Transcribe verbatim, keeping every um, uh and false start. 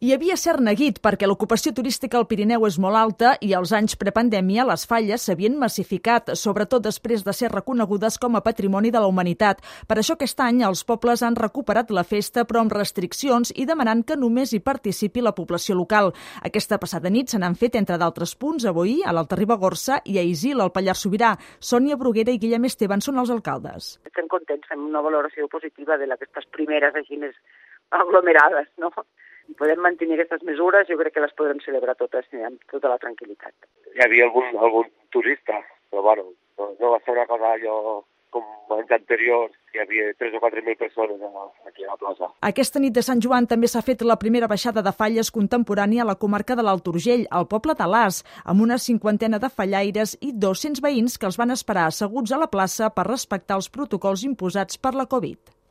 Hi havia cert neguit perquè l'ocupació turística al Pirineu és molt alta i als anys prepandèmia les falles s'havien massificat, sobretot després de ser reconegudes com a patrimoni de la humanitat. Per això aquest any els pobles han recuperat la festa però amb restriccions i demanant que només hi participi la població local. Aquesta passada nit se n'han fet, entre d'altres punts, a Boí, a l'Alta Ribagorça i a Isil, al Pallars Sobirà. Sònia Bruguera i Guillem Esteban són els alcaldes. Estem contents, fem una valoració positiva de aquestes primeres així més aglomerades, no? I podem mantenir aquestes mesures, jo crec que les podrem celebrar totes amb tota la tranquil·litat. Hi havia algun, algun turista, però bueno, no, no va ser una cosa allò com anys anteriors, hi havia tres o quatre mil persones aquí a la plaça. Aquesta nit de Sant Joan també s'ha fet la primera baixada de falles contemporània a la comarca de l'Alt Urgell, al poble d'Alàs, amb una cinquantena de fallaires i dos-cents veïns que els van esperar asseguts a la plaça per respectar els protocols imposats per la Covid.